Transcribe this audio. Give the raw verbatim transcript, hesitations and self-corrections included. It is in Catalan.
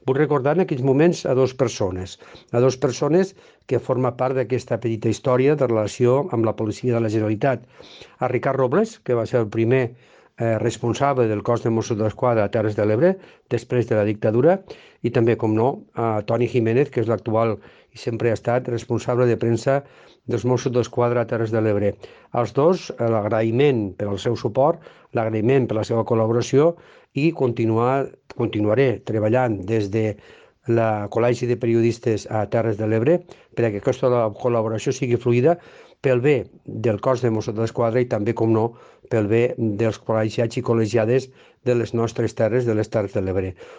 Vull recordar en aquells moments a dues persones, a dues persones que formen part d'aquesta petita història de relació amb la policia de la Generalitat. A Ricard Robles, que va ser el primer eh, responsable del cos de Mossos d'Esquadra a Terres de l'Ebre, després de la dictadura, i també, com no, a Toni Jiménez, que és l'actual i sempre ha estat responsable de premsa dels Mossos d'Esquadra a Terres de l'Ebre. Als dos, l'agraïment per al seu suport, l'agraïment per la seva col·laboració i continuar, continuaré treballant des de la Col·legi de Periodistes a Terres de l'Ebre perquè aquesta col·laboració sigui fluida pel bé del cos de Mossos d'Esquadra i també, com no, pel bé dels col·legiats i col·legiades de les nostres terres, de les Terres de l'Ebre.